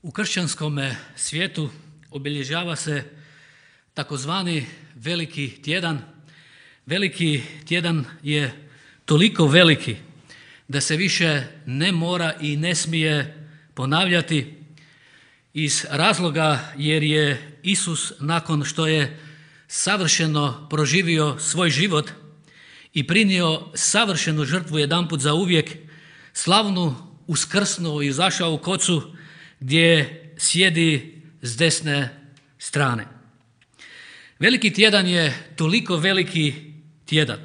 U kršćanskom svijetu obilježava se takozvani Veliki tjedan. Veliki tjedan je toliko veliki da se više ne mora i ne smije ponavljati iz razloga jer je Isus nakon što je savršeno proživio svoj život i prinio savršenu žrtvu jedanput za uvijek, slavnu uskrsnuo i izašao u kocu gdje sjedi s desne strane. Veliki tjedan je toliko veliki tjedan,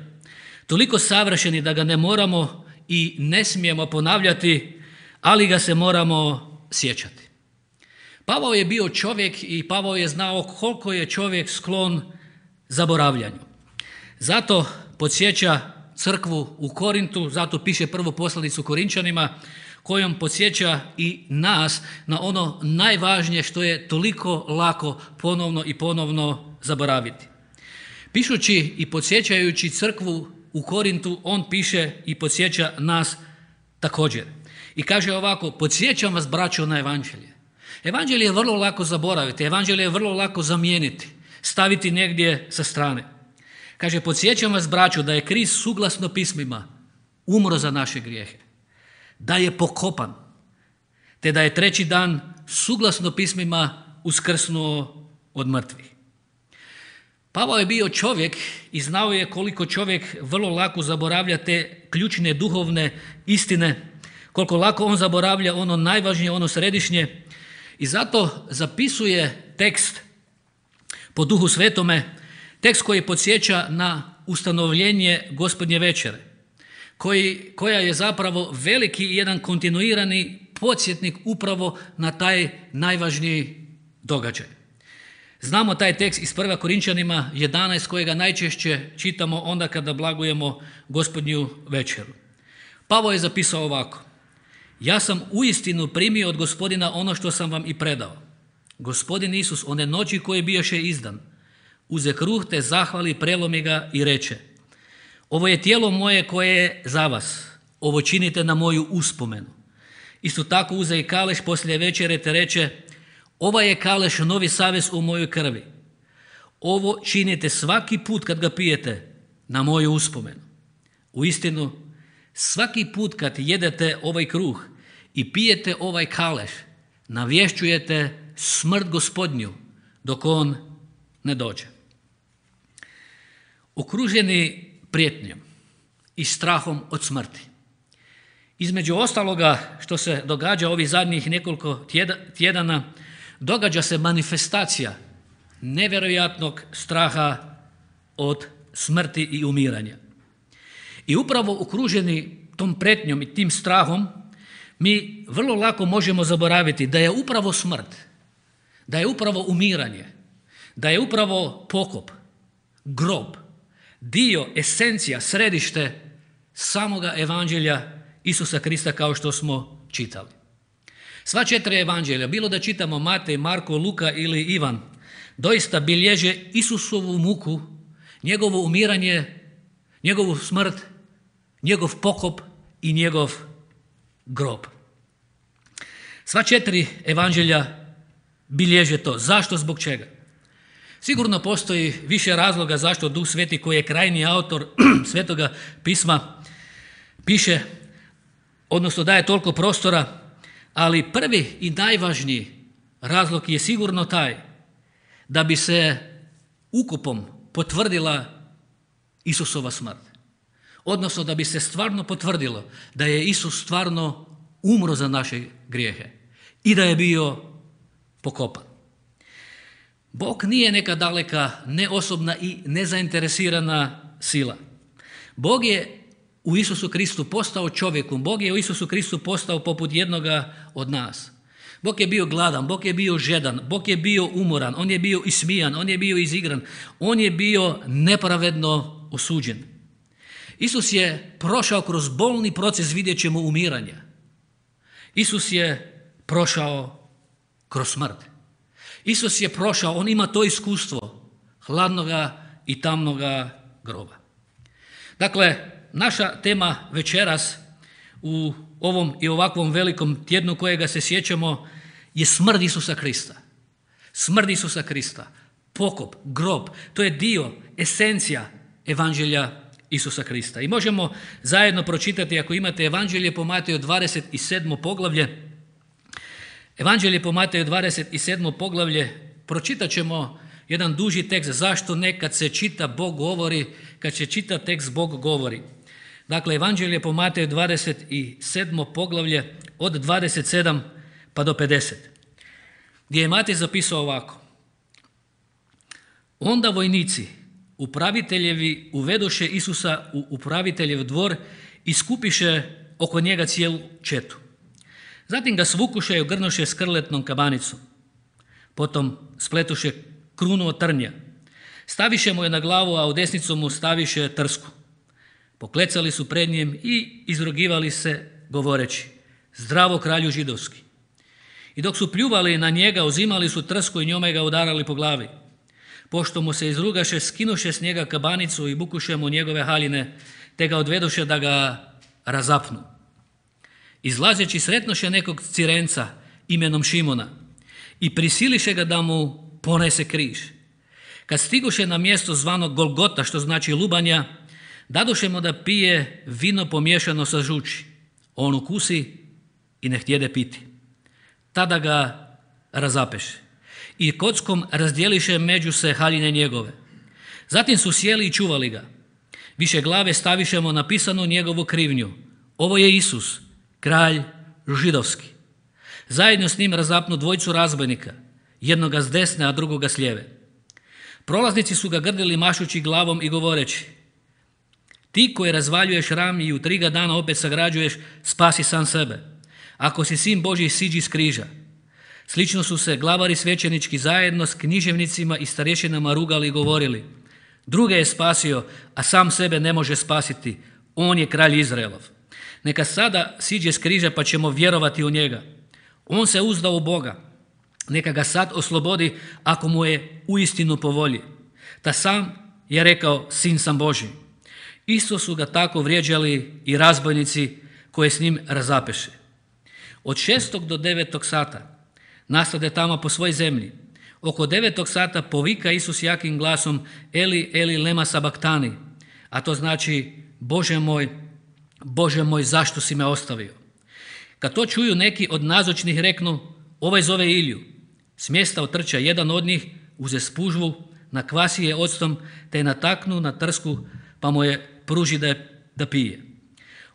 toliko savršeni da ga ne moramo i ne smijemo ponavljati, ali ga se moramo sjećati. Pavao je bio čovjek i Pavao je znao koliko je čovjek sklon zaboravljanju. Zato podsjeća crkvu u Korintu, zato piše prvu poslanicu Korinčanima, kojom podsjeća i nas na ono najvažnije što je toliko lako ponovno i ponovno zaboraviti. Pišući i podsjećajući crkvu u Korintu, on piše i podsjeća nas također. I kaže ovako: podsjećam vas, braćo, na evanđelje. Evanđelje je vrlo lako zaboraviti, evanđelje je vrlo lako zamijeniti, staviti negdje sa strane. Kaže: podsjećam vas, braćo, da je Krist suglasno pismima umro za naše grijehe, da je pokopan, te da je treći dan suglasno pismima uskrsnuo od mrtvih. Pavao je bio čovjek i znao je koliko čovjek vrlo lako zaboravlja te ključne duhovne istine, koliko lako on zaboravlja ono najvažnije, ono središnje, i zato zapisuje tekst po Duhu Svetome, tekst koji podsjeća na ustanovljenje Gospodnje večere, koja je zapravo veliki jedan kontinuirani podsjetnik upravo na taj najvažniji događaj. Znamo taj tekst iz 1. Korinčanima 11 kojega najčešće čitamo onda kada blagujemo Gospodnju večeru. Pavao je zapisao ovako: ja sam uistinu primio od Gospodina ono što sam vam i predao. Gospodin Isus one noći koje bijaše izdan, uze kruh te zahvali, prelomi ga i reče: ovo je tijelo moje koje je za vas, ovo činite na moju uspomenu. Isto tako uze i kaleš poslije večere te reče: ovaj je kaleš novi savez u mojoj krvi. Ovo činite svaki put kad ga pijete na moju uspomenu. Uistinu, svaki put kad jedete ovaj kruh i pijete ovaj kaleš, navješćujete smrt Gospodnju dok on ne dođe. Okruženi prijetnjom i strahom od smrti, između ostaloga što se događa ovih zadnjih nekoliko tjedana, događa se manifestacija nevjerojatnog straha od smrti i umiranja. I upravo okruženi tom prijetnjom i tim strahom mi vrlo lako možemo zaboraviti da je upravo smrt, da je upravo umiranje, da je upravo pokop, grob, dio, esencija, središte samoga evanđelja Isusa Krista kao što smo čitali. Sva 4 evanđelja, bilo da čitamo Matej, Marko, Luka ili Ivan, doista bilježe Isusovu muku, njegovo umiranje, njegovu smrt, njegov pokop i njegov grob. Sva 4 evanđelja bilježe to. Zašto? Zbog čega? Sigurno postoji više razloga zašto Duh Sveti, koji je krajnji autor Svetoga pisma, piše, odnosno daje toliko prostora, ali prvi i najvažniji razlog je sigurno taj da bi se ukupom potvrdila Isusova smrt. Odnosno da bi se stvarno potvrdilo da je Isus stvarno umro za naše grijehe i da je bio pokopan. Bog nije neka daleka, neosobna i nezainteresirana sila. Bog je u Isusu Kristu postao čovjekom, Bog je u Isusu Kristu postao poput jednoga od nas. Bog je bio gladan, Bog je bio žedan, Bog je bio umoran, on je bio ismijan, on je bio izigran, on je bio nepravedno osuđen. Isus je prošao kroz bolni proces, vidjet ćemo, umiranja. Isus je prošao kroz smrt. Isus je prošao, on ima to iskustvo hladnoga i tamnoga groba. Dakle, naša tema večeras u ovom i ovakvom velikom tjednu kojega se sjećamo je smrt Isusa Krista. Smrt Isusa Krista, pokop, grob, to je dio, esencija evanđelja Isusa Krista. I možemo zajedno pročitati, ako imate Evanđelje po Mateju 27. poglavlje. Evanđelje po Mateju 27. poglavlje, pročitat ćemo jedan duži tekst. Zašto ne? Kad se čita Bog govori, kad se čita tekst Bog govori. Dakle, Evanđelje po Mateju 27. poglavlje od 27 pa do 50. Gdje je Matej zapisao ovako. Onda vojnici, upraviteljevi, uvedoše Isusa u upraviteljev dvor i skupiše oko njega cijelu četu. Zatim ga svukuše i ogrnuše skrletnom kabanicom. Potom spletuše krunu od trnja. Staviše mu je na glavu, a u desnicu mu staviše trsku. Poklecali su pred njim i izrugivali se govoreći: Zdravo kralju židovski. I dok su pljuvali na njega, uzimali su trsku i njome ga udarali po glavi. Pošto mu se izrugaše, skinuše s njega kabanicu i bukuše mu njegove haljine, te ga odvedoše da ga razapnu. Izlazeći sretnoše nekog Cirenca imenom Šimona i prisiliše ga da mu ponese križ. Kad stigoše na mjesto zvano Golgota, što znači lubanja, dadoše mu da pije vino pomiješano sa žuči. On ukusi i ne htjede piti. Tada ga razapeše i kockom razdjeliše među se haljine njegove. Zatim su sjeli i čuvali ga. Više glave stavišemo napisano njegovu krivnju. Ovo je Isus, kralj židovski. Zajedno s njim razapnu dvojicu razbojnika, jednoga s desne, a drugoga s lijeve. Prolaznici su ga grdili mašući glavom i govoreći: Ti koji razvaljuješ ram i u 3 ga dana opet sagrađuješ, spasi sam sebe. Ako si sin Božji, siđi s križa. Slično su se glavari svećenički zajedno s književnicima i starješinama rugali i govorili: Druge je spasio, a sam sebe ne može spasiti. On je kralj Izraelov. Neka sada siđe s križa pa ćemo vjerovati u njega. On se uzdao u Boga. Neka ga sad oslobodi ako mu je uistinu po volji. Ta sam je rekao: Sin sam Božji. Isto su ga tako vrijeđali i razbojnici koje s njim razapeše. Od 6. do 9. sata nastade tamo po svoj zemlji. Oko 9. sata povika Isus jakim glasom: Eli, Eli, lema sabaktani, a to znači: Bože moj, zašto si me ostavio? Kad to čuju neki od nazočnih, reknu: Ovaj zove Iliju. S mjesta otrča jedan od njih, uze spužvu, nakvasi je octom, te je nataknu na trsku, pa mu je pruži da pije.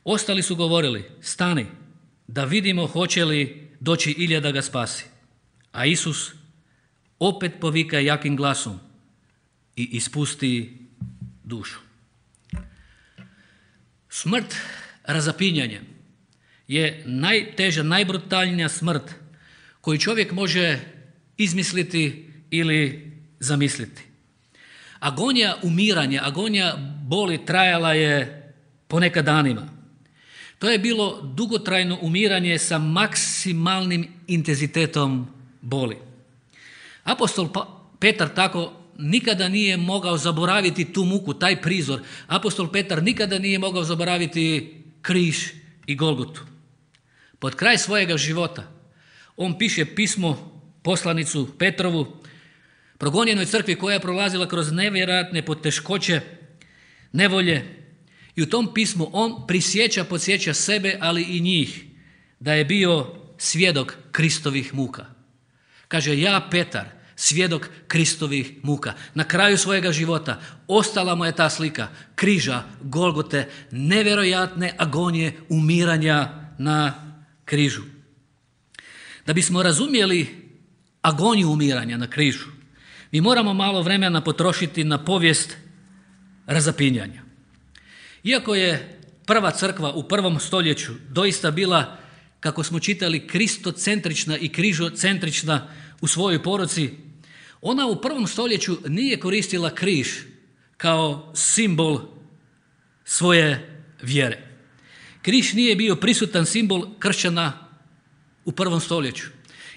Ostali su govorili: Stani, da vidimo hoće li doći Ilija da ga spasi. A Isus opet povika jakim glasom i ispusti dušu. Smrt razapinjanjem je najteža, najbrutalnija smrt koju čovjek može izmisliti ili zamisliti. Agonija umiranja, agonija boli trajala je ponekad danima. To je bilo dugotrajno umiranje sa maksimalnim intenzitetom boli. Apostol Petar tako nikada nije mogao zaboraviti tu muku, taj prizor. Apostol Petar nikada nije mogao zaboraviti križ i Golgotu. Pod kraj svojega života on piše pismo, poslanicu Petrovu, progonjenoj crkvi koja je prolazila kroz nevjerojatne poteškoće, nevolje, i u tom pismu on podsjeća sebe, ali i njih, da je bio svjedok Kristovih muka. Kaže: Ja, Petar, svjedok Kristovih muka. Na kraju svojega života ostala mu je ta slika križa, Golgote, nevjerojatne agonije umiranja na križu. Da bismo razumjeli agoniju umiranja na križu, mi moramo malo vremena potrošiti na povijest razapinjanja. Iako je prva crkva u 1. stoljeću doista bila, kako smo čitali, kristocentrična i križocentrična u svojoj poruci, ona u 1. stoljeću nije koristila križ kao simbol svoje vjere. Križ nije bio prisutan simbol kršćana u 1. stoljeću.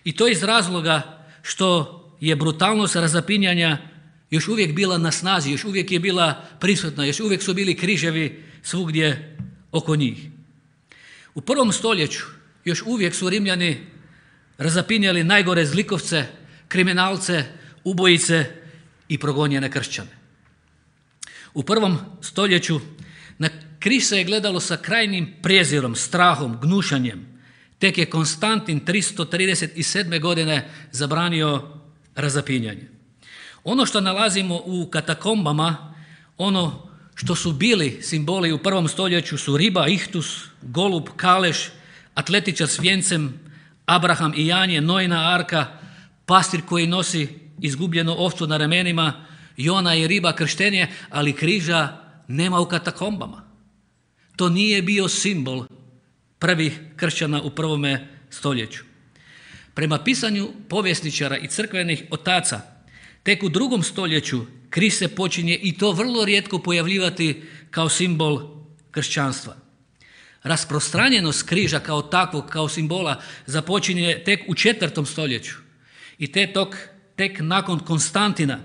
I to iz razloga što je brutalnost razapinjanja još uvijek bila na snazi, još uvijek je bila prisutna, još uvijek su bili križevi svugdje oko njih. U 1. stoljeću još uvijek su Rimljani razapinjali najgore zlikovce, kriminalce, ubojice i progonjene kršćane. U 1. stoljeću na križ se je gledalo sa krajnjim prijezirom, strahom, gnušanjem. Tek je Konstantin 337. godine zabranio razapinjanje. Ono što nalazimo u katakombama, ono što su bili simboli u 1. stoljeću su riba, ihtus, golub, kaleš, atletičar s vijencem, Abraham i Janje, Nojina arka, pastir koji nosi izgubljenu ovcu na ramenima, Jona i riba, krštenje, ali križa nema u katakombama. To nije bio simbol prvih kršćana u 1. stoljeću. Prema pisanju povjesničara i crkvenih otaca, tek u 2. stoljeću križ se počinje i to vrlo rijetko pojavljivati kao simbol kršćanstva. Rasprostranjenost križa kao takvog, kao simbola, započinje tek u 4. stoljeću i tek nakon Konstantina,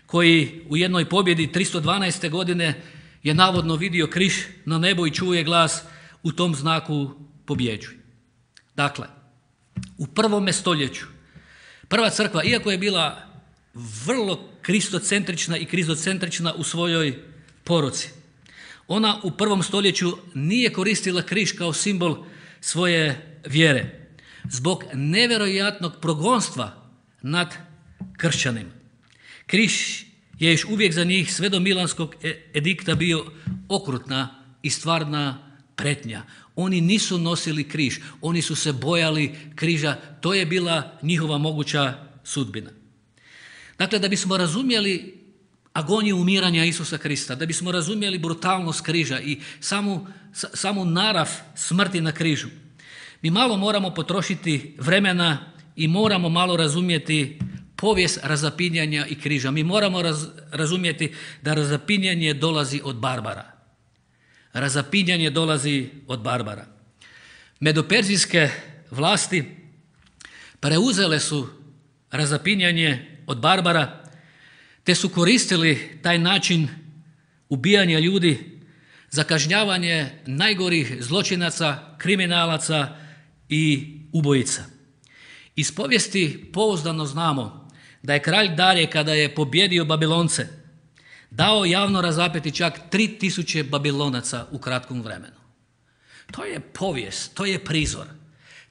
koji u jednoj pobjedi 312. godine je navodno vidio križ na nebu i čuje glas u tom znaku pobjeđuj. Dakle, u 1. stoljeću prva crkva, iako je bila vrlo kristocentrična i krizocentrična u svojoj poruci, ona u 1. stoljeću nije koristila križ kao simbol svoje vjere zbog nevjerojatnog progonstva nad kršćanima. Križ je još uvijek za njih sve do Milanskog edikta bio okrutna i stvarna pretnja. Oni nisu nosili križ, oni su se bojali križa, to je bila njihova moguća sudbina. Dakle, da bismo razumjeli agoniju umiranja Isusa Krista, da bismo razumjeli brutalnost križa i samu narav smrti na križu, mi malo moramo potrošiti vremena i moramo malo razumjeti povijest razapinjanja i križa. Mi moramo razumjeti da razapinjanje dolazi od Barbara. Razapinjanje dolazi od Barbara. Medoperzijske vlasti preuzele su razapinjanje od Barbara, te su koristili taj način ubijanja ljudi za kažnjavanje najgorih zločinaca, kriminalaca i ubojica. Iz povijesti pouzdano znamo da je kralj Darije, kada je pobjedio Babilonce, dao javno razapeti čak 3000 Babilonaca u kratkom vremenu. To je povijest, to je prizor.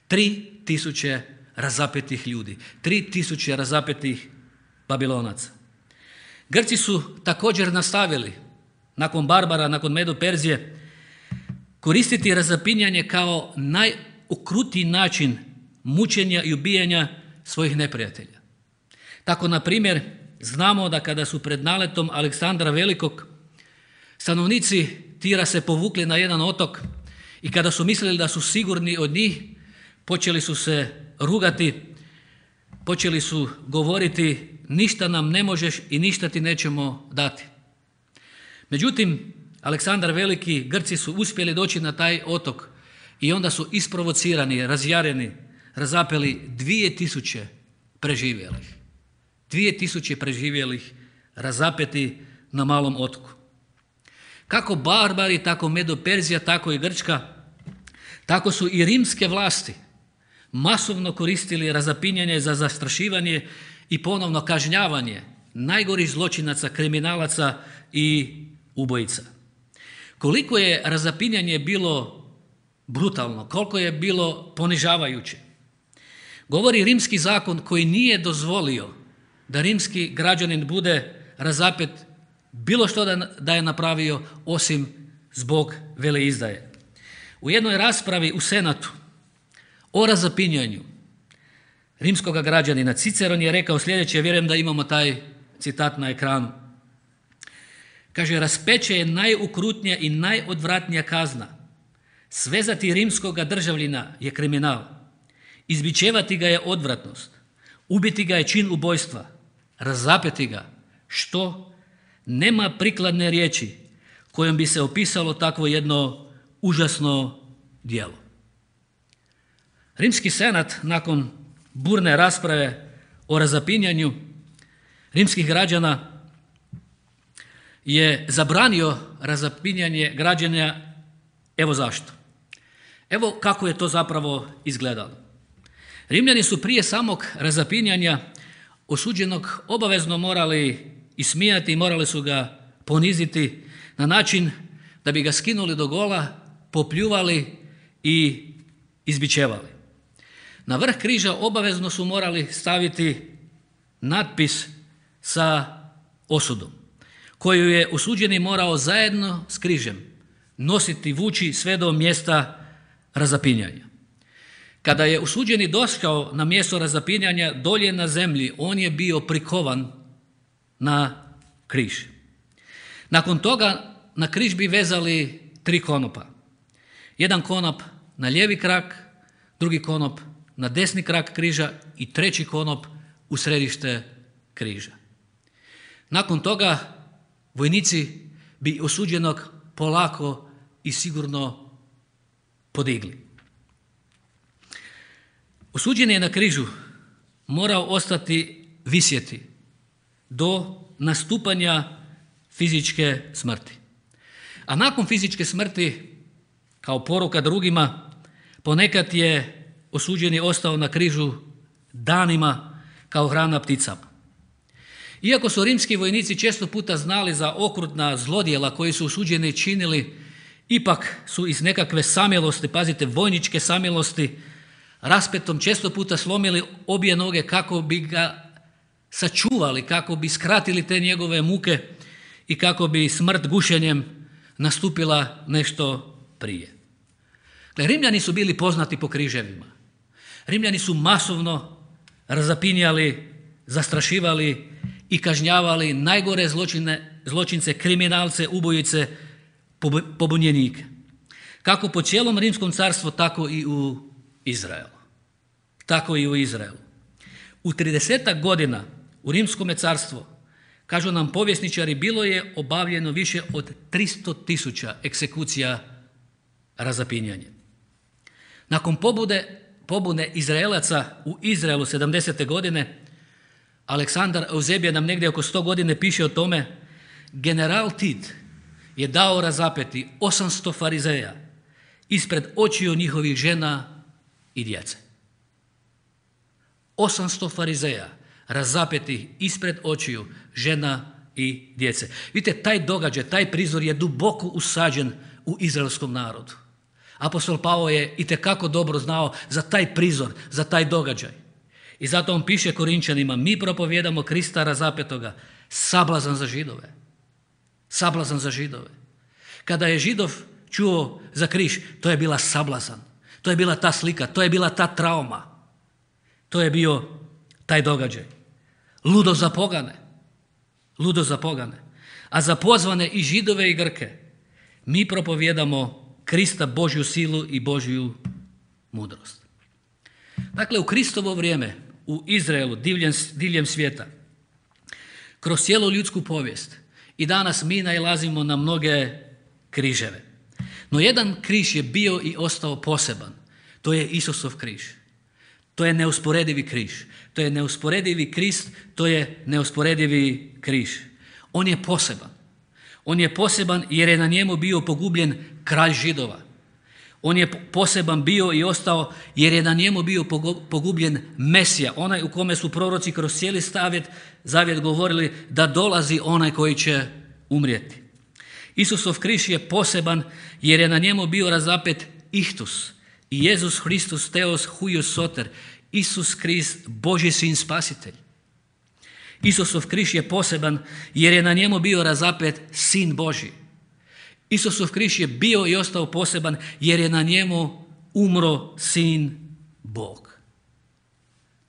3000 razapetih ljudi, 3000 razapetih Babilonaca. Grci su također nastavili, nakon Barbara, nakon Medo-Perzije, koristiti razapinjanje kao najokrutniji način mučenja i ubijanja svojih neprijatelja. Tako, na primjer, znamo da kada su pred naletom Aleksandra Velikog stanovnici Tira se povukli na jedan otok i kada su mislili da su sigurni od njih, počeli su se rugati, počeli su govoriti ništa nam ne možeš i ništa ti nećemo dati. Međutim, Aleksandar Veliki, Grci su uspjeli doći na taj otok i onda su isprovocirani, razjareni, razapeli 2000 preživjelih. 2000 preživjelih razapeti na malom otoku. Kako Barbari, tako Medo-Perzija, tako i Grčka, tako su i rimske vlasti masovno koristili razapinjanje za zastrašivanje i ponovno kažnjavanje najgorih zločinaca, kriminalaca i ubojica. Koliko je razapinjanje bilo brutalno, koliko je bilo ponižavajuće, govori rimski zakon koji nije dozvolio da rimski građanin bude razapet bilo što da je napravio osim zbog veleizdaje. U jednoj raspravi u Senatu o razapinjanju rimskog građanina Ciceron je rekao sljedeće, vjerujem da imamo taj citat na ekranu. Kaže, raspeće je najukrutnija i najodvratnija kazna. Svezati rimskoga državljina je kriminal. Izbičevati ga je odvratnost. Ubiti ga je čin ubojstva. Razapeti ga. Što? Nema prikladne riječi kojom bi se opisalo takvo jedno užasno djelo. Rimski senat nakon burne rasprave o razapinjanju rimskih građana je zabranio razapinjanje građana. Evo zašto. Evo kako je to zapravo izgledalo. Rimljani su prije samog razapinjanja osuđenog obavezno morali ismijati i morali su ga poniziti na način da bi ga skinuli do gola, popljuvali i izbičevali. Na vrh križa obavezno su morali staviti natpis sa osudom, koju je osuđeni morao zajedno s križem nositi, vući sve do mjesta razapinjanja. Kada je osuđeni došao na mjesto razapinjanja dolje na zemlji, on je bio prikovan na križ. Nakon toga na križ bi vezali 3 konopa. Jedan konop na lijevi krak, drugi konop na desni krak križa i treći konop u središte križa. Nakon toga vojnici bi osuđenog polako i sigurno podigli. Osuđeni je na križu morao ostati visjeti do nastupanja fizičke smrti. A nakon fizičke smrti, kao poruka drugima, ponekad je osuđeni ostao na križu danima kao hrana pticama. Iako su rimski vojnici često puta znali za okrutna zlodjela koji su osuđeni činili, ipak su iz nekakve samilosti, pazite, vojničke samilosti, raspetom često puta slomili obje noge kako bi ga sačuvali, kako bi skratili te njegove muke i kako bi smrt gušenjem nastupila nešto prije. Rimljani su bili poznati po križevima. Rimljani su masovno razapinjali, zastrašivali i kažnjavali najgore zločince, kriminalce, ubojice, pobunjenike. Kako po cijelom Rimskom carstvu, tako i u Izraelu. U 30 godina u Rimskome carstvu, kažu nam povjesničari, bilo je obavljeno više od 300.000 egzekucija razapinjanjem. Nakon pobune Izraelaca u Izraelu 70. godine, Aleksandar Euzebije nam negdje oko 100 godine piše o tome, general Tit je dao razapeti 800 farizeja ispred očiju njihovih žena i djece. 800 farizeja razapeti ispred očiju žena i djece. Vidite, taj događaj, taj prizor je duboko usađen u izraelskom narodu. Apostol Pavao je itekako dobro znao za taj prizor, za taj događaj. I zato on piše Korinčanima, mi propovijedamo Krista razapetoga, sablazan za Židove. Sablazan za Židove. Kada je Židov čuo za križ, to je bila sablazan. To je bila ta slika, to je bila ta trauma. To je bio taj događaj. Ludo za pogane. Ludo za pogane. A za pozvane i Židove i Grke mi propovijedamo Krista, Božju silu i Božju mudrost. Dakle, u Kristovo vrijeme, u Izraelu, diljem svijeta, kroz cijelu ljudsku povijest i danas mi nailazimo na mnoge križeve. No jedan križ je bio i ostao poseban. To je Isusov križ. To je neusporedivi križ. To je neusporedivi Krist, to je neusporedivi križ. On je poseban. On je poseban jer je na njemu bio pogubljen kralj Židova. On je poseban bio i ostao jer je na njemu bio pogubljen Mesija, onaj u kome su proroci kroz cijeli zavjet govorili da dolazi onaj koji će umrijeti. Isusov križ je poseban jer je na njemu bio razapet Ihtus i Jezus Hristus Theos huios soter, Isus Krist, Božji sin spasitelj. Isusov križ je poseban jer je na njemu bio razapet Sin Božji. Isusov križ je bio i ostao poseban jer je na njemu umro Sin Bog.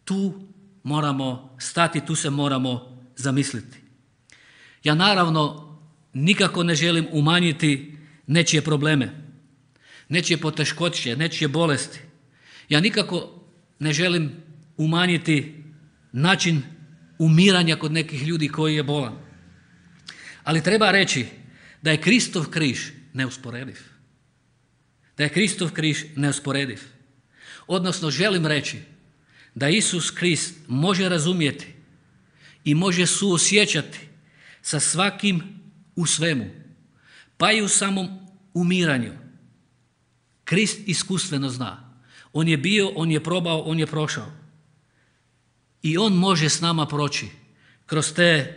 Tu moramo stati, tu se moramo zamisliti. Ja naravno nikako ne želim umanjiti nečije probleme, nečije poteškoće, nečije bolesti. Ja nikako ne želim umanjiti način umiranja kod nekih ljudi koji je bolan. Ali treba reći da je Kristov križ neusporediv. Da je Kristov križ neusporediv. Odnosno želim reći da Isus Krist može razumjeti i može suosjećati sa svakim u svemu, pa i u samom umiranju. Krist iskustveno zna. On je bio, on je probao, on je prošao. I on može s nama proći kroz te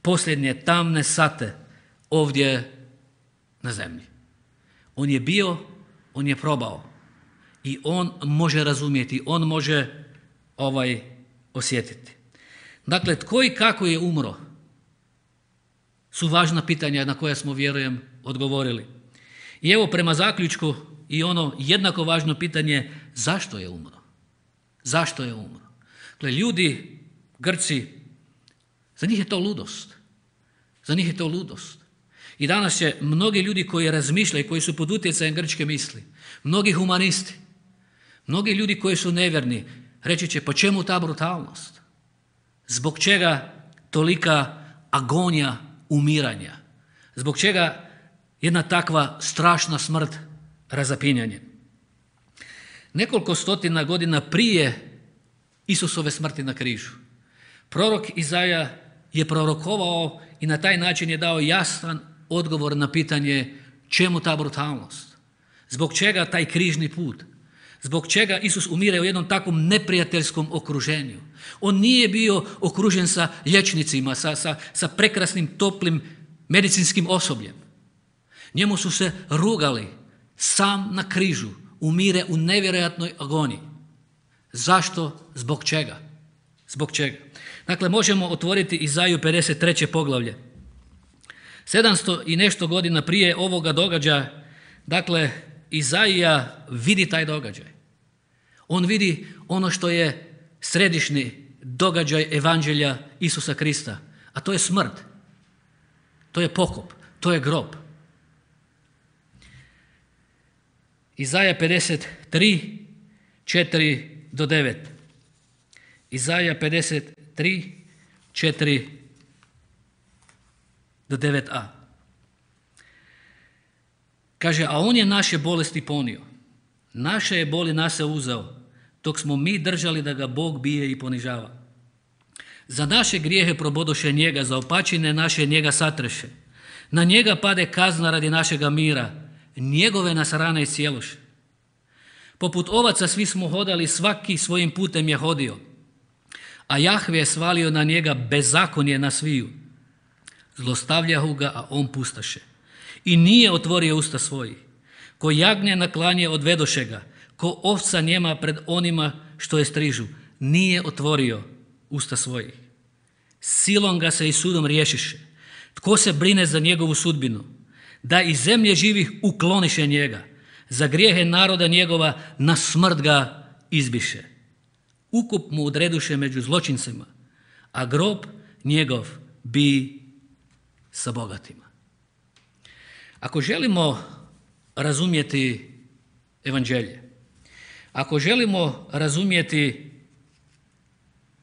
posljednje tamne sate ovdje na zemlji. On je bio, on je probao. I on može razumjeti, on može osjetiti. Dakle, tko i kako je umro su važna pitanja na koja smo, vjerujem, odgovorili. I evo prema zaključku i ono jednako važno pitanje, zašto je umro? Zašto je umro? Dakle, ljudi, Grci, za njih je to ludost. Za njih je to ludost. I danas će mnogi ljudi koji razmišljaju, koji su pod utjecajem grčke misli, mnogi humanisti, mnogi ljudi koji su nevjerni, reći će, po čemu ta brutalnost? Zbog čega tolika agonija umiranja? Zbog čega jedna takva strašna smrt, razapinjanje? Nekoliko stotina godina prije Isusove smrti na križu, prorok Izaja je prorokovao i na taj način je dao jasan odgovor na pitanje čemu ta brutalnost? Zbog čega taj križni put? Zbog čega Isus umire u jednom takvom neprijateljskom okruženju? On nije bio okružen sa liječnicima, sa prekrasnim, toplim medicinskim osobljem. Njemu su se rugali, sam na križu, umire u nevjerojatnoj agoniji. Zašto? Zbog čega? Zbog čega? Dakle, možemo otvoriti Izaju 53. poglavlje. 700 i nešto godina prije ovoga događaja, dakle, Izaija vidi taj događaj. On vidi ono što je središnji događaj evanđelja Isusa Krista, a to je smrt, to je pokop, to je grob. Izaja 53, 4 do 9. Izaja 53, 4 do 9a. Kaže, a on je naše bolesti ponio, naše je boli nas se uzeo, dok smo mi držali da ga Bog bije i ponižava. Za naše grijehe probodoše njega, za opačine naše njega satreše. Na njega pade kazna radi našega mira, njegove nas rane iscijeloše. Poput ovaca svi smo hodali, svaki svojim putem je hodio, a Jahve je svalio na njega bezakonje na sviju. Zlostavljahu ga, a on pustaše. I nije otvorio usta svojih. Ko jagnje na klanje odvedoše ga, ko ovca njema pred onima što je strižu, nije otvorio usta svojih. Silom ga se i sudom riješiše. Tko se brine za njegovu sudbinu? Da iz zemlje živih ukloniše njega. Za grijehe naroda njegova na smrt ga izbiše. Ukup mu odreduše među zločincima, a grob njegov bi sa bogatima. Ako želimo razumjeti evanđelje, ako želimo razumjeti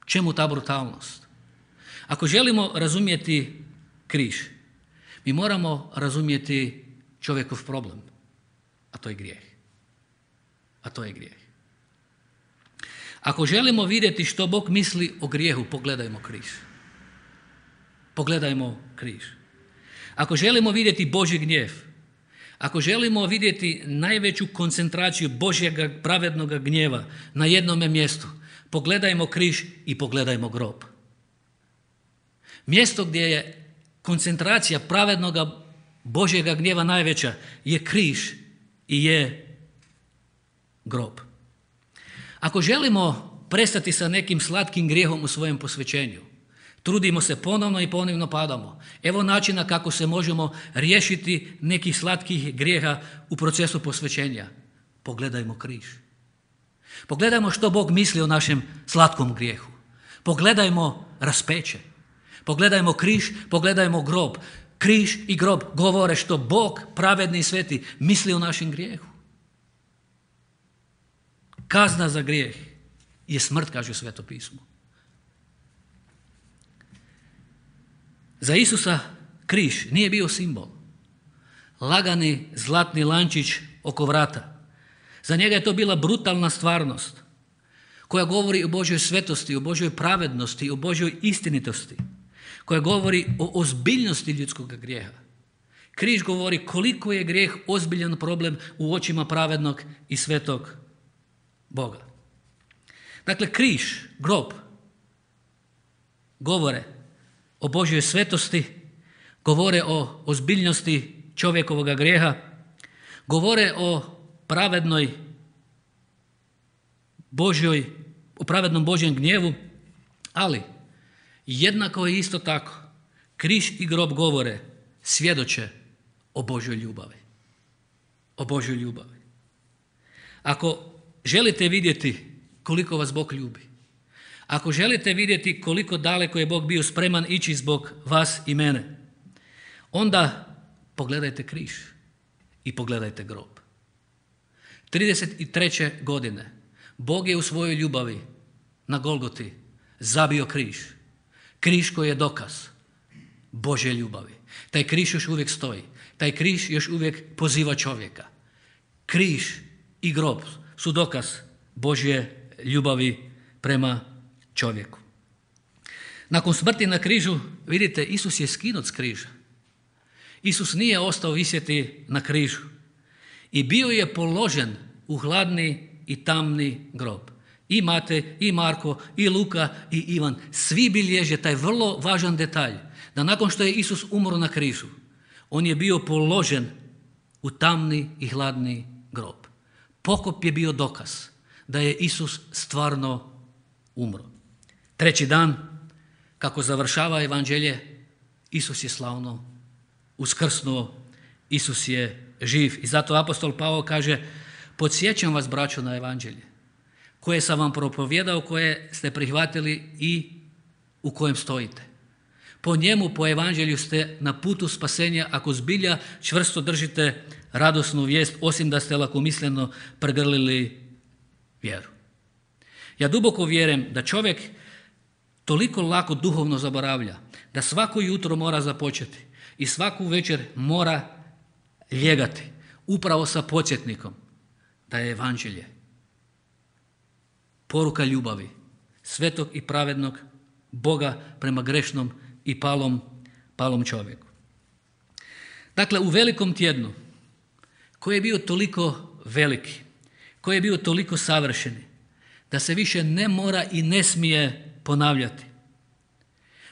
čemu ta brutalnost, ako želimo razumjeti križ, mi moramo razumjeti čovjekov problem, a to je grijeh. A to je grijeh. Ako želimo vidjeti što Bog misli o grijehu, pogledajmo križ. Pogledajmo križ. Ako želimo vidjeti Božji gnjev, ako želimo vidjeti najveću koncentraciju Božjega pravednog gnjeva na jednome mjestu, pogledajmo križ i pogledajmo grob. Mjesto gdje je koncentracija pravednog Božjega gnjeva najveća je križ i je grob. Ako želimo prestati sa nekim slatkim grijehom u svojem posvećenju, trudimo se ponovno i ponovno padamo. Evo načina kako se možemo riješiti nekih slatkih grijeha u procesu posvećenja. Pogledajmo križ. Pogledajmo što Bog misli o našem slatkom grijehu. Pogledajmo raspeće. Pogledajmo križ, pogledajmo grob. Križ i grob govore što Bog, pravedni i sveti, misli o našem grijehu. Kazna za grijeh je smrt, kaže Sveto pismo. Za Isusa križ nije bio simbol. Lagani zlatni lančić oko vrata. Za njega je to bila brutalna stvarnost koja govori o Božjoj svetosti, o Božjoj pravednosti, o Božjoj istinitosti, koja govori o ozbiljnosti ljudskog grijeha. Križ govori koliko je grijeh ozbiljan problem u očima pravednog i svetog Boga. Dakle, križ, grob, govore o Božjoj svetosti, govore o ozbiljnosti čovjekovog grijeha, govore o pravednom Božjem gnjevu, ali jednako i isto tako križ i grob govore, svjedoče o Božjoj ljubavi. O Božjoj ljubavi. Ako želite vidjeti koliko vas Bog ljubi, ako želite vidjeti koliko daleko je Bog bio spreman ići zbog vas i mene, onda pogledajte križ i pogledajte grob. 33. godine Bog je u svojoj ljubavi na Golgoti zabio križ. Križ koji je dokaz Božje ljubavi. Taj križ još uvijek stoji. Taj križ još uvijek poziva čovjeka. Križ i grob su dokaz Božje ljubavi prema čovjeku. Nakon smrti na križu, vidite, Isus je skinut s križa. Isus nije ostao visjeti na križu i bio je položen u hladni i tamni grob. I Matej, i Marko, i Luka, i Ivan, svi bilježe taj vrlo važan detalj, da nakon što je Isus umro na križu, on je bio položen u tamni i hladni grob. Pokop je bio dokaz da je Isus stvarno umro. 3. dan, kako završava evanđelje, Isus je slavno uskrsnuo, Isus je živ. I zato apostol Pavao kaže, podsjećam vas, braćo, na evanđelje koje sam vam propovijedao, koje ste prihvatili i u kojem stojite. Po njemu, po evanđelju ste na putu spasenja, ako zbilja čvrsto držite radosnu vijest, osim da ste lakomisleno pregrlili vjeru. Ja duboko vjerujem da čovjek toliko lako duhovno zaboravlja, da svako jutro mora započeti i svaku večer mora ljegati upravo sa podsjetnikom da je evanđelje poruka ljubavi svetog i pravednog Boga prema grešnom i palom čovjeku. Dakle, u velikom tjednu koji je bio toliko veliki, koji je bio toliko savršeni, da se više ne mora i ne smije ponavljati.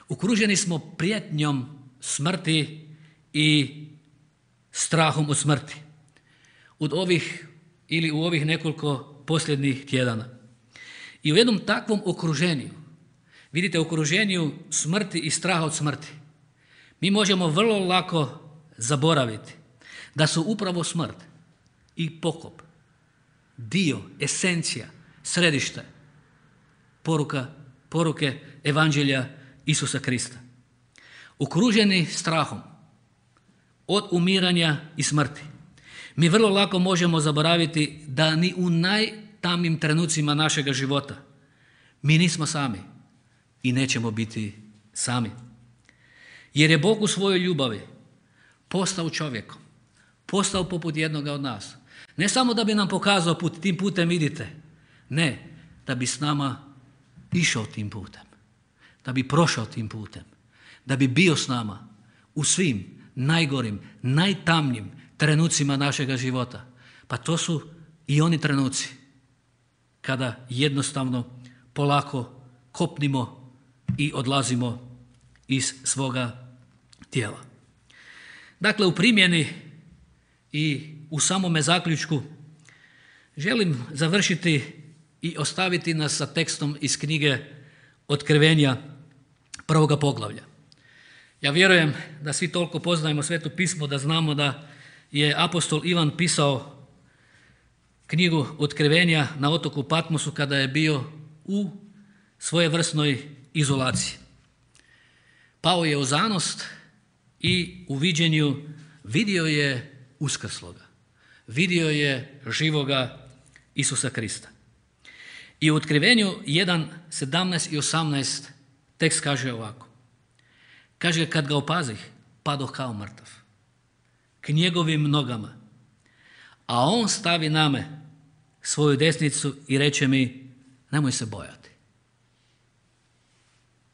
Okruženi smo prijetnjom smrti i strahom od smrti. U ovih nekoliko posljednjih tjedana. I u jednom takvom okruženju, vidite, okruženju smrti i straha od smrti, mi možemo vrlo lako zaboraviti da su upravo smrt i pokop dio, esencija, središte poruke evanđelja Isusa Krista. Okruženi strahom od umiranja i smrti, mi vrlo lako možemo zaboraviti da ni u najtamnijim trenucima našega života mi nismo sami i nećemo biti sami. Jer je Bog u svojoj ljubavi postao čovjekom, postao poput jednoga od nas. Ne samo da bi nam pokazao put, tim putem idite, ne, da bi s nama išao tim putem, da bi prošao tim putem, da bi bio s nama u svim najgorim, najtamnijim trenucima našega života. Pa to su i oni trenuci kada jednostavno polako kopnimo i odlazimo iz svoga tijela. Dakle, u primjeni i u samome zaključku želim završiti i ostaviti nas sa tekstom iz knjige Otkrivenja 1. poglavlja. Ja vjerujem da svi toliko poznajemo Sveto pismo da znamo da je apostol Ivan pisao knjigu Otkrivenja na otoku Patmosu kada je bio u svojevrsnoj izolaciji. Pao je u zanost i u viđenju vidio je uskrsloga, vidio je živoga Isusa Krista. I u Otkrivenju 1, 17 i 18 tekst kaže ovako. Kaže, kad ga opazih, padoh kao mrtav k njegovim nogama, a on stavi na me svoju desnicu i reče mi, nemoj se bojati.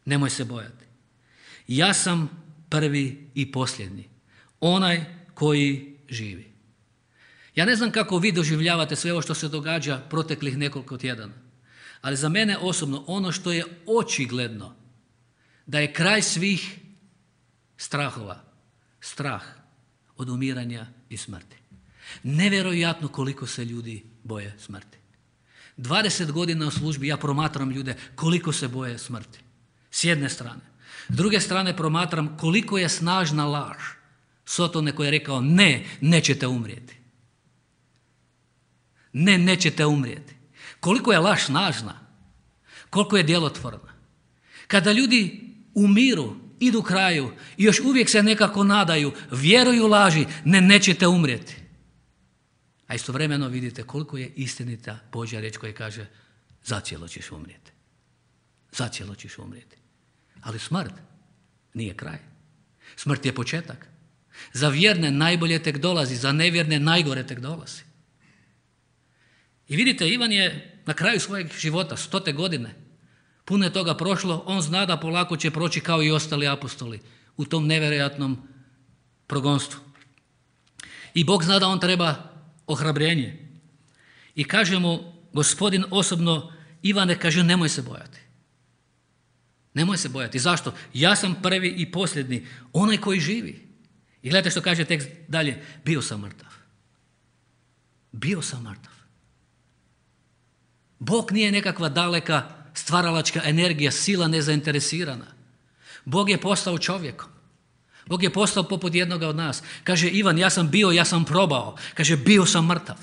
Nemoj se bojati. Ja sam prvi i posljednji, onaj koji živi. Ja ne znam kako vi doživljavate sve ovo što se događa proteklih nekoliko tjedana, ali za mene osobno ono što je očigledno da je kraj svih strahova, strah od umiranja i smrti. Nevjerojatno koliko se ljudi boje smrti. 20 godina u službi ja promatram ljude koliko se boje smrti. S jedne strane. S druge strane promatram koliko je snažna laž Sotone koji je rekao ne, nećete umrijeti. Ne, nećete umrijeti. Koliko je laž snažna, koliko je djelotvorna. Kada ljudi umiru, idu kraju i još uvijek se nekako nadaju, vjeruju laži, ne, nećete umrijeti. A istovremeno vidite koliko je istinita Božja riječ koja kaže zacijelo ćeš umrijeti. Zacijelo ćeš umrijeti. Ali smrt nije kraj. Smrt je početak. Za vjerne najbolje tek dolazi, za nevjerne najgore tek dolazi. I vidite, Ivan je na kraju svojeg života, 100. godine, puno je toga prošlo, on zna da polako će proći kao i ostali apostoli u tom nevjerojatnom progonstvu. I Bog zna da on treba ohrabrenje. I kaže mu Gospodin osobno, Ivane, kaže, nemoj se bojati. Nemoj se bojati. Zašto? Ja sam prvi i posljednji, onaj koji živi. I gledajte što kaže tekst dalje, bio sam mrtav. Bio sam mrtav. Bog nije nekakva daleka stvaralačka energija, sila nezainteresirana. Bog je postao čovjekom. Bog je postao poput jednoga od nas. Kaže Ivan, ja sam bio, ja sam probao. Kaže, bio sam mrtav.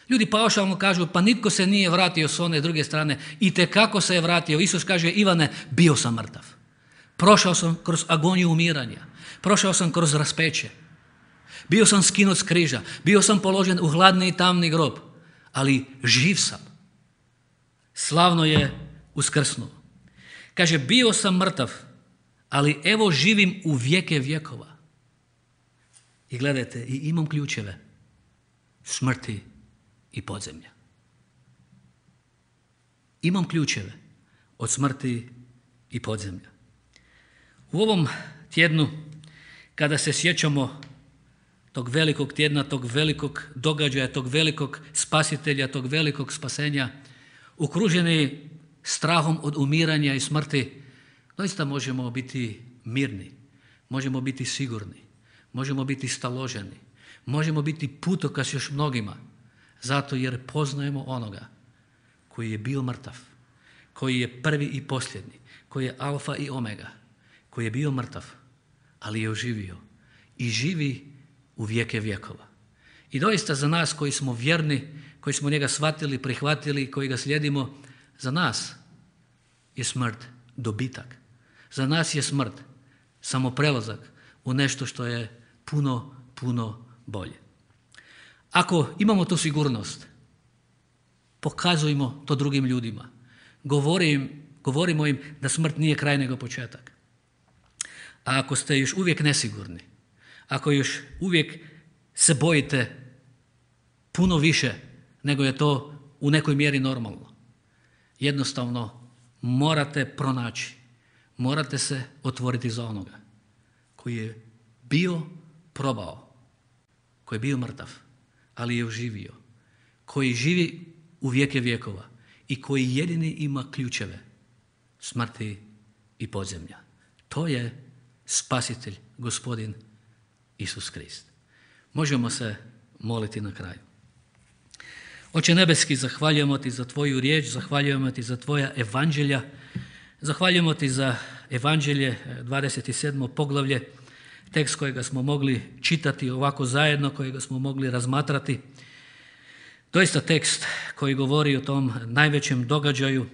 Ljudi paušalno kažu, pa nitko se nije vratio s one druge strane. Itekako se je vratio. Isus kaže, Ivane, bio sam mrtav. Prošao sam kroz agoniju umiranja. Prošao sam kroz raspeće. Bio sam skinut s križa. Bio sam položen u hladni i tamni grob. Ali živ sam. Slavno je uskrsnuo. Kaže, bio sam mrtav, ali evo živim u vijeke vjekova. I gledajte, i imam ključeve smrti i podzemlja. Imam ključeve od smrti i podzemlja. U ovom tjednu, kada se sjećamo tog velikog tjedna, tog velikog događaja, tog velikog spasitelja, tog velikog spasenja, okruženi strahom od umiranja i smrti, doista možemo biti mirni, možemo biti sigurni, možemo biti staloženi, možemo biti putokaz još mnogima, zato jer poznajemo onoga koji je bio mrtav, koji je prvi i posljednji, koji je alfa i omega, koji je bio mrtav, ali je oživio i živi u vijeke vjekova. I doista za nas koji smo vjerni, koji smo njega shvatili, prihvatili, koji ga slijedimo, za nas je smrt dobitak. Za nas je smrt samo prelazak u nešto što je puno, puno bolje. Ako imamo tu sigurnost, pokazujmo to drugim ljudima. Govorimo im da smrt nije kraj nego početak. A ako ste još uvijek nesigurni, ako još uvijek se bojite puno više nego je to u nekoj mjeri normalno, jednostavno morate pronaći, morate se otvoriti za onoga koji je bio probao, koji je bio mrtav, ali je oživio, koji živi u vijeke vjekova i koji jedini ima ključeve smrti i podzemlja. To je spasitelj, Gospodin Isus Krist. Možemo se moliti na kraju. Oče nebeski, zahvaljujemo ti za tvoju riječ, zahvaljujemo ti za tvoja evanđelja, zahvaljujemo ti za evanđelje 27. poglavlje, tekst kojega smo mogli čitati ovako zajedno, kojega smo mogli razmatrati. Doista tekst koji govori o tom najvećem događaju,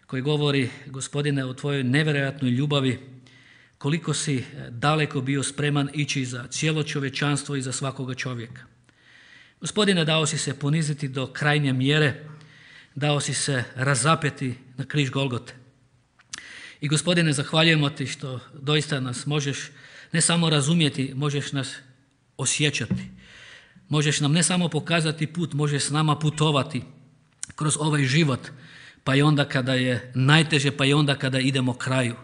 koji govori, Gospodine, o tvojoj nevjerojatnoj ljubavi, koliko si daleko bio spreman ići za cijelo čovječanstvo i za svakoga čovjeka. Gospodine, dao si se poniziti do krajnje mjere, dao si se razapeti na križ Golgote. I Gospodine, zahvaljujemo ti što doista nas možeš ne samo razumjeti, možeš nas osjećati. Možeš nam ne samo pokazati put, možeš s nama putovati kroz ovaj život, pa i onda kada je najteže, pa i onda kada idemo kraju.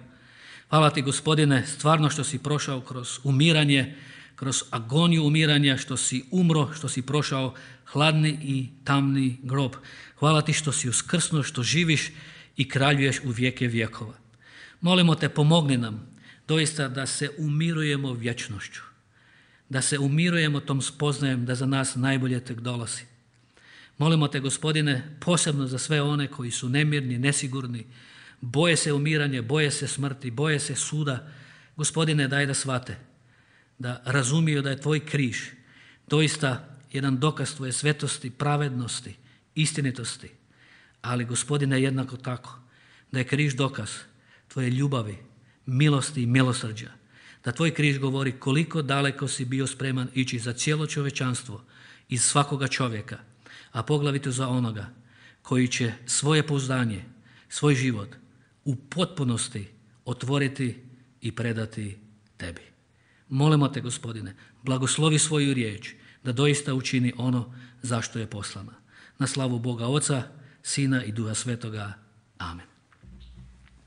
Hvala ti, Gospodine, stvarno što si prošao kroz umiranje, kroz agoniju umiranja, što si umro, što si prošao hladni i tamni grob. Hvala ti što si uskrsnuo, što živiš i kraljuješ u vijeke vjekova. Molimo te, pomogni nam doista da se umirujemo vječnošću, da se umirujemo tom spoznajem da za nas najbolje tek dolazi. Molimo te, Gospodine, posebno za sve one koji su nemirni, nesigurni, boje se umiranja, boje se smrti, boje se suda. Gospodine, daj da shvate, da razumiju da je tvoj križ doista jedan dokaz tvoje svetosti, pravednosti, istinitosti. Ali, Gospodine, jednako tako, da je križ dokaz tvoje ljubavi, milosti i milosrđa. Da tvoj križ govori koliko daleko si bio spreman ići za cijelo čovječanstvo, iz svakoga čovjeka, a poglavito za onoga koji će svoje pouzdanje, svoj život u potpunosti otvoriti i predati tebi. Molimo te, Gospodine, blagoslovi svoju riječ da doista učini ono zašto je poslana. Na slavu Boga Oca, Sina i Duha Svetoga. Amen.